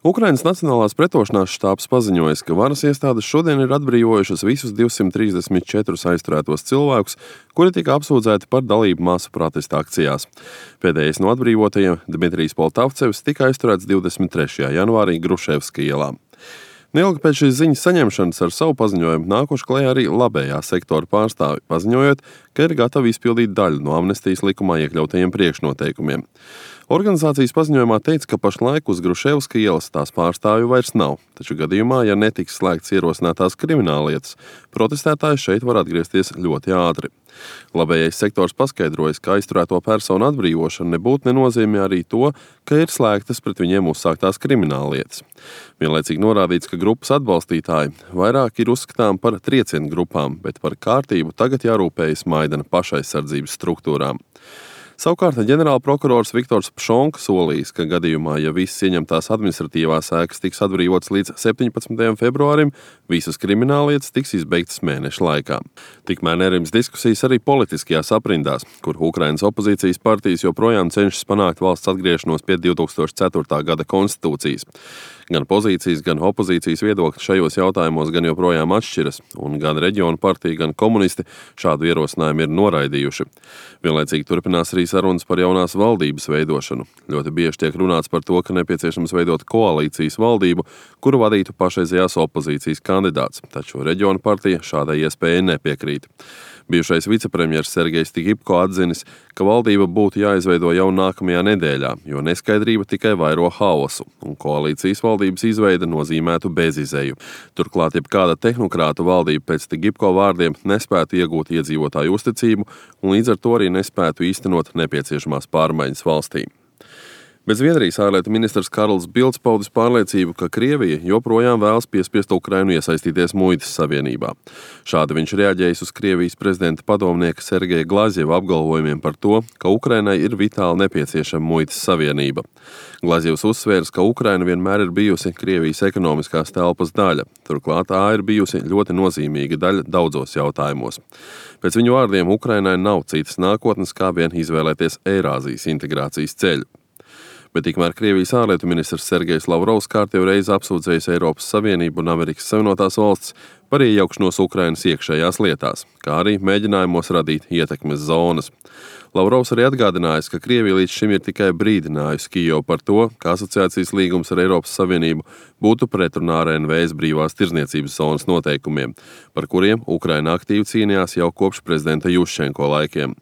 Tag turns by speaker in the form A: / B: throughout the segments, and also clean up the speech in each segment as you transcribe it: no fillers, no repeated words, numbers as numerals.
A: Ukrainas Nacionālās pretošanās štābs paziņojis, ka varas iestādes šodien ir atbrīvojušas visus 234 aizturētos cilvēkus, kuri tika apsūdzēti par dalību masu protesta akcijās. Pēdējais no atbrīvotajiem, Dmitrijs Poltavcevs, tika aizturēts 23. janvārī Gruševska ielā. Neilgi pēc šīs ziņas saņemšanas ar savu paziņojumu nākuši klajā arī labējā sektora pārstāvi, paziņojot, ka ir gatavi izpildīt daļu no amnestijas likumā iekļautajiem priekšnoteikumiem. Organizācijas paziņojumā teica, ka pašlaik uz Gruševska ielas tās pārstāvju vairs nav, taču gadījumā, ja netiks slēgts ierosinātās krimināllietas, protestētāji šeit var atgriezties ļoti ātri. Labējais sektors paskaidrojas, ka aizturēto personu atbrīvošana nebūtu nenozīmē arī to, ka ir slēgtas pret viņiem uzsāktās krimināllietas. Vienlaicīgi norādīts, ka grupas atbalstītāji vairāk ir uzskatām par triecienu grupām, bet par kārtību tagad jārūpējas Maidana pašaizsardzības struktūrām. Savukārt ģenerālprokurors Viktors Pšonka solījis, ka gadījumā, ja visas ieņemtās administratīvās ēkas tiks atbrīvotas līdz 17. februārim, visas krimināllietas tiks izbeigtas mēneša laikā. Tikmēr nerims diskusijas arī politiskajās aprindās, kur Ukrainas opozīcijas partijas joprojām cenšas panākt valsts atgriešanos pie 2004. gada konstitūcijas. Gan pozīcijas, gan opozīcijas viedokļi šajos jautājumos gan joprojām atšķiras, un gan reģionu partija, gan komunisti šādu ierosinājumu ir noraidījuši. Vienlaicīgi turpinās arī sarunas par jaunās valdības veidošanu. Ļoti bieži tiek runāts par to, ka nepieciešams veidot koalīcijas valdību, kuru vadītu pašreizējās opozīcijas kandidāts, taču reģionu partija šādai iespējai nepiekrīt. Bijušais vicepremjers Sergejs Tigipko atzinis, ka valdība būtu jāizveido jau nākamajā nedēļā, jo neskaidrība tikai vairo haosu, un koalīcijas valdības izveide nozīmētu bezizēju. Turklāt jebkāda tehnokrātu valdība pēc Tigipko vārdiem nespētu iegūt iedzīvotāju uzticību un līdz ar to arī nespētu īstenot nepieciešamās pārmaiņas valstī. Bet Zviedrijas ārlietu ministrs Karls Bilds paudis pārliecību, ka Krievija joprojām vēlas piespiest Ukrainu iesaistīties muitas savienībā. Šādi viņš reaģējis uz Krievijas prezidenta padomnieka Sergeja Glazjeva apgalvojumiem par to, ka Ukrainai ir vitāli nepieciešama muitas savienība. Glazjevs uzsvērs, ka Ukraina vienmēr ir bijusi Krievijas ekonomiskās telpas daļa. Turklāt tā ir bijusi ļoti nozīmīga daļa daudzos jautājumos. Pēc viņu vārdiem Ukrainai nav citas nākotnes, kā vien izvēlēties Eirāzijas integrācijas ceļu. Bet tikmēr Krievijas ārlietu ministrs Sergejs Lavrovs kārtējo reizi apsūdzējis Eiropas Savienību un Amerikas Savienotās valstis par iejaukšanos Ukrainas iekšējās lietās, kā arī mēģinājumos radīt ietekmes zonas. Lavrovs arī atgādinājis, ka Krievija līdz šim ir tikai brīdinājusi Kijevu par to, ka asociācijas līgums ar Eiropas Savienību būtu pretrunā ar NVS brīvās tirdzniecības zonas noteikumiem, par kuriem Ukraina aktīvi cīnījās jau kopš prezidenta Juščenko laikiem.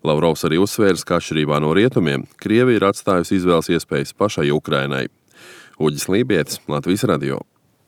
A: Lavrovs arī uzsvērs, ka atšķirībā no rietumiem, Krievija ir atstājusi izvēles iespējas pašai Ukrainai. Uģis Lībietis, Latvijas radio.